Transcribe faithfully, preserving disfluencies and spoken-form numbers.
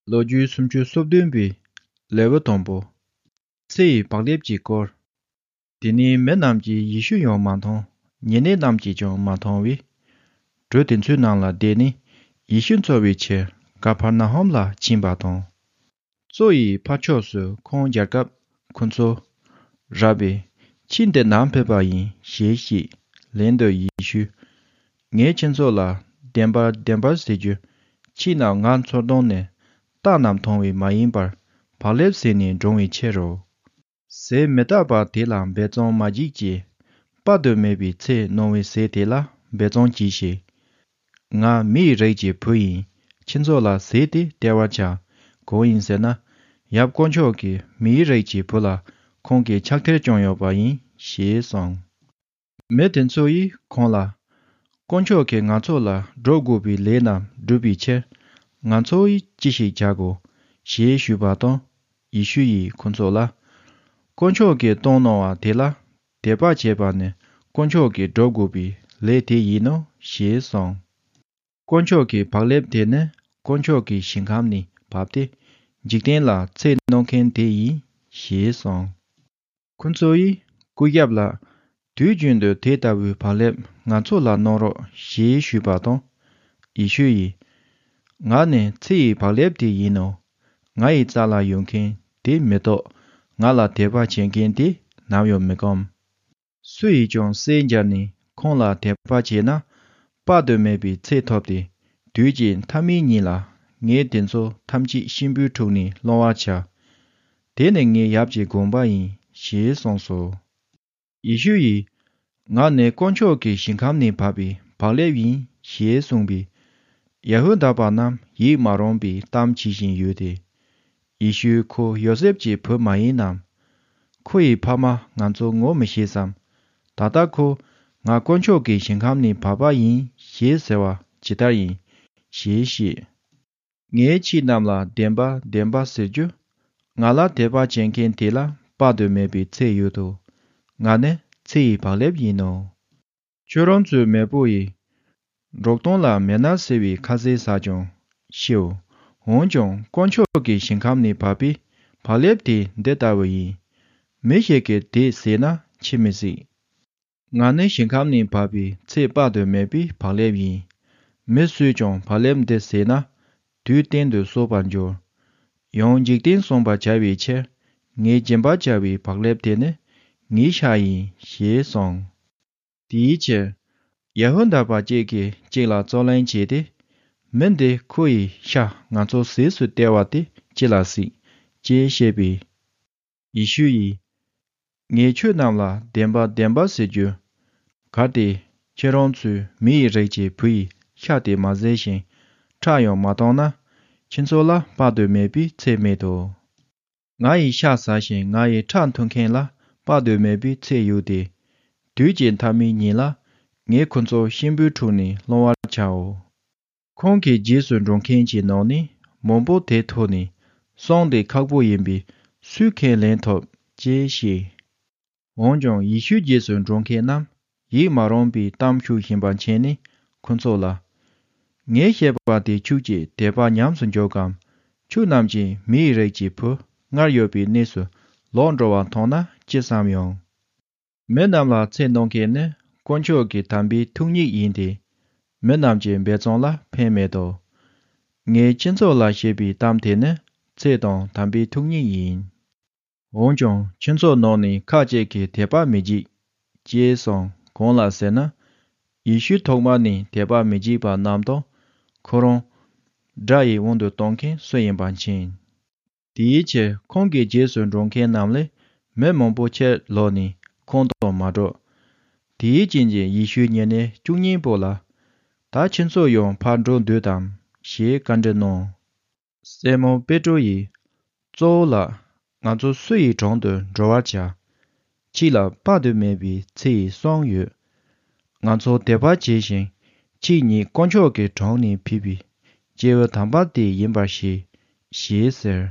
ལོ་རྒྱུས་སུམ་ཅུ་སོ་བདུན་པའི་ལེའུ་དང་པོ། ཚེ་ཡི་བག་ལེབ་ཀྱི་སྐོར། དེ་ནས་མི་རྣམས་ཀྱིས་ཡེ་ཤུ་ཡང་མ་མཐོང་། ཉེ་གནས་རྣམས་ཀྱིས་ཀྱང་མ་མཐོང་བས། གྲུ་དེ་ཚོའི་ནང་ལ་བསྡད་ནས་ཡེ་ཤུ་འཚོལ་བའི་ཕྱིར་ཀ་ཕར་ན་ཧོམ་ལ་ཕྱིན་པ་དང་། གཙོ་ཡི་ཕར་ཕྱོགས་སུ་ཁོང་མཇལ་སྐབས་ཁོ་ཚོ། རབ་བི། ཁྱེད་འདི་ནམ་ཕེབས་པ་ཡིན་ཞེས་བཤད། ལན་དུ་ཡེ་ཤུས། ངས་ཁྱེད་ཚོ་ལ་བདེན་པར་བདེན་པར་ཟེར་རྒྱུ། ཁྱེད་རྣམས་ང་འཚོལ་དོན་ནི་རྟགས་རྣམས་མཐོང་བས་མ་ཡིན་པར་བག་ལེབ་ཟས་ནས་འགྲོ་བའི་ཕྱིར་རོ། ཟས་མི་རྟག་པ་དེ་ལ་འབད་བརྩོན་མ་བགྱིད་ཀྱི། དཔག་ཏུ་མེད་པའི་ཚེ་གནང་བའི་ཟས་དེ་ལ་འབད་བརྩོན་གྱིས་ཤིག་ང་མིའི་རིགས་ཀྱི་བུ་ཡིན། ཁྱེད་ཚོ་ལ་ཟས་དེ་སྟེར་བར་བྱ། གང་ཡིན་ཟེར་ན། ཡབ་དཀོན་མཆོག་གིས་མིའི་རིགས་ཀྱི་བུ་ལ་ཁོང་གི་ཕྱག་ཐེར་བསྐྱངས་ཡོད་པ་ཡིན་ཞེས་གསུངས། མི་དེ་ཚོ་ཡིས་ཁོང་ལ། དཀོན་མཆོག་གིས་ང་ཚོ་ལ་སྒྲུབ་དགོས་པའི་ལས་རྣམས་བསྒྲུབ་པའི་ཕྱིར། ང་ཚོ་ཡིས་ཅི་ཞིག་བྱ་དགོས། ཞེས་ཞུས་པ་དང་། ཡེ་ཤུ་ཡིས་ཁོ་ཚོ་ལ། དཀོན་མཆོག་གིས་བཏང་གནང་བ་དེ་ལ། དད་པ་བྱས་པ་ནི་དཀོན་མཆོག་གིས་སྒྲུབ་དགོས་པའི་ལས་དེ་ཡིན་ནོ་ཞེས་གསུངས། དཀོན་མཆོག་གི་བག་ལེབ་དེ་ནི་དཀོན་མཆོག་གི་ཞིང་ཁམས་ནས་བབས་ཏེ། འཇིག་རྟེན་ལ་ཚེ་གནང་མཁན་དེ་ཡིན་ཞེས་གསུངས། ཁོ་ཚོ་ཡིས་སྐུ་ཞབས་ལ། དུས་རྒྱུན་དུ་དེ་ལྟ་བུའི་བག་ལེབ་ང་ཚོ་ལ་གནང་རོགས་ཞེས་ཞུས་པ་དང་། ཡེ་ཤུ་ཡིས། ང་ནི་ཚེ་ཡི་བག་ལེབ་དེ་ཡིན་ནོ། ང་ཡི་རྩ་ལ་ཡོད་མཁན་དེ་མི་ལྟོགས། ང་ལ་དད་པ་བྱེད་མཁན་དེ་ནམ་ཡང་མི་སྐོམ། སུ་ཡིས་ཀྱང་སྲས་མཇལ་ནས་ཁོང་ལ་དད་པ་བྱས་ན། དཔག་ཏུ་མེད་པའི་ཚེ་ཐོབ་སྟེ། དུས་ཀྱི་མཐའ་མའི་ཉིན་ལ། ངས་དེ་ཚོ་ཐམས་ཅད་གཤིན་པོའི་དྲུང་ནས་སློང་བར་བྱ། དེ་ནི་ངའི་ཡབ་ཀྱི་དགོངས་པ་ཡིན་ཞེས་གསུངས་སོ། ཡེ་ཤུ་ཡིས། ང་ནི་དཀོན་མཆོག་གི་ཞིང་ཁམས་ནས་བབས་པའི་བག་ལེབ་ཡིན་ཞེས་གསུངས་པས། ཡ་ཧུ་དཱ་པ་རྣམས་ཡིད་མ་རངས་པའི་གཏམ་བྱེད་བཞིན་ཡོད་དེ། ཡེ་ཤུ་ཁོ་ཡོ་སེབ་ཀྱི་བུ་མ་ཡིན་ནམ། ཁོ་ཡི་ཕ་མ་ང་ཚོ་ངོ་མི་ཤེས་སམ། ད་ལྟ་ཁོ་ང་དཀོན་མཆོག་གི་ཞིང་ཁམས་ནས་བབས་པ་ཡིན་ཞེས་ཟེར་བ་ཇི་ལྟར་ཡིན་ཞེས་བཤད། ངས་ཁྱེད་རྣམས་ལ་བདེན་པ་བདེན་པ་ཟེར་རྒྱུ། ང་ལ་དད་པ་བྱེད་མཁན་དེ་ལ་དཔག་ཏུ་མེད་པའི་ཚེ་ཡོད་དོ། ང་ནི་ཚེ་ཡི་བག་ལེབ་ཡིན་ནོ། ཁྱོད་རང་ཚོའི་མེས་པོ་ཡིས། འབྲོག་སྟོང་ལ་མན་ན་ཟེར་བའི་ཁ་ཟས་ཟ་ཀྱང་ཤིའོ། འོན་ཀྱང་དཀོན་མཆོག་གི་ཞིང་ཁམས་ནས་བབས་པའི་བག་ལེབ་དེ་འདི་ལྟ་བུ་ཡིན། མི་ཞིག་གིས་དེ་ཟས་ན་འཆི་མི་སྲིད། ང་ནི་ཞིང་ཁམས་ནས་བབས་པའི་ཚེ་དཔག་ཏུ་མེད་པའི་བག་ལེབ་ཡིན། མི་སུས་ཀྱང་བག་ལེབ་འདི་ཟས་ན། དུས་གཏན་དུ་གསོན་པར་འགྱུར། ཡང་འཇིག་རྟེན་བསྲུང་བར་བྱ་བའི་ཕྱིར། ངས་སྦྱིན་པར་བྱ་བའི་བག་ལེབ་དེ་ནི་ངའི་ཤ་ཡིན་ཞེས་གསུངས། དེའི་ཕྱིར། ཡ་ཧུ་དཱ་པ་གཅིག་གིས་གཅིག་ལ་རྩོད་གླེང་བྱས་ཏེ། མི་འདིས་ཁོ་ཡི་ཤ་ང་ཚོ་ཟས་སུ་སྟེར་བ་དེ་ཅི་ལ་སྲིད། ཅེས་བཤད་པས། ཡེ་ཤུ་ཡིས། ངས་ཁྱོད་རྣམས་ལ་བདེན་པ་བདེན་པ་ཟེར་རྒྱུ། གལ་ཏེ་ཁྱེད་རང་ཚོས་མི་ཡི་རིགས་ཀྱི་བུ་ཡི་ཤ་དེ་མ་ཟས་ཤིང་ཁྲག་ཡང་མ་འཐུང་ན། ཁྱེད་ཚོ་ལ་དཔག་ཏུ་མེད་པའི་ཚེ་མེད་དོ། ང་ཡི་ཤ་ཟ་ཞིང་ང་ཡི་ཁྲག་འཐུང་མཁན་ལ་དཔག་ཏུ་མེད་པའི་ཚེ་ཡོད་དེ། དུས་ཀྱི་མཐའ་མའི་ཉིན་ལ་ངས་ཁོ་ཚོ་གཤིན་པོའི་དྲུང་ནས་སློང་བར་བྱའོ། ཁོང་གི་རྗེས་སུ་འགྲོ་མཁན་གྱི་ནང་ནས་མང་པོ་དེ་ཐོས་ནས་གསུང་དེ་ཁག་པོ་ཡིན་པས་སུས་ཁས་ལེན་ཐུབ་ཅེས་བཤད། འོན་ཀྱང་ཡེ་ཤུའི་རྗེས་སུ་འགྲོ་མཁན་རྣམས་ཡིད་མ་རངས་པའི་གཏམ་ཤོད་བཞིན་པ་མཁྱེན་ནས་ཁོ་ཚོ་ལ། ངས་བཤད་པ་དེ་ཁྱོད་ཀྱིས་དད་པ་ཉམས་སུ་འཇོག་གམ། ཁྱོད་རྣམས་ཀྱིས་མི་ཡི་རིགས་ཀྱི་བུ་སྔར་ཡོད་པའི་གནས་སུ་ལོག་འགྲོ་བ་མཐོང་ན་ཅི་བསམ་ཡོང་། མི་རྣམས་ལ་ཚེ་གནང་མཁན་ནི་དཀོན་མཆོག་གི་དམ་པའི་ཐུགས་ཉིད་ཡིན་ཏེ། མི་རྣམས་ཀྱི་འབད་བརྩོན་ལ་ཕན་མེད་དོ། ངས་ཁྱེད་ཚོ་ལ་བཤད་པའི་གཏམ་དེ་ནི་ཚེ་དང་དམ་པའི་ཐུགས་ཉིད་ཡིན། འོན་ཀྱང་ཁྱེད་ཚོ་ནང་ནས་ཁ་ཅིག་གིས་དད་པ་མི་བགྱིད། ཅེས་གསུངས། གང་ལ་ཟེར་ན། ཡེ་ཤུ་ཐོག་མ་ནས་དད་པ་མི་བགྱིད་པ་རྣམས་དང་། ཁོ་རང་དགྲ་ཡི་དབང་དུ་གཏོང་མཁན་སུ་ཡིན་པ་མཁྱེན། དེའི་ཕྱིར་ཁོང་གི་རྗེས་སུ་འགྲོ་མཁན་རྣམས་ལས་མི་མང་པོ་ཕྱིར་ལོག་ནས་ཁོང་དང་མ་འགྲོགས། དེའི་རྐྱེན་གྱིས་ཡེ་ཤུས་ཉེ་གནས་བཅུ་གཉིས་པོ་ལ། ད་ཁྱེད་ཚོ་ཡང་ཕར་འགྲོ་འདོད་དམ་ཞེས་བཀའ་འདྲི་གནང་། སི་མོན་པེ་ཏྲོ་ཡིས། གཙོ་བོ་ལགས། ང་ཚོ་སུ་ཡི་དྲུང་དུ་འགྲོ་བར་བྱ། ཁྱེད་ལ་དཔག་ཏུ་མེད་པའི་ཚེ་ཡི་གསུང་ཡོད། ང་ཚོ་དད་པ་བྱས་ཤིང་། ཁྱེད་ཉིད་དཀོན་མཆོག་གི་དྲུང་ནས་ཕེབས་པའི་སྐྱེས་བུ་དམ་པ་དེ་ཡིན་པར་ཤེས། ཞེས་ཟེར།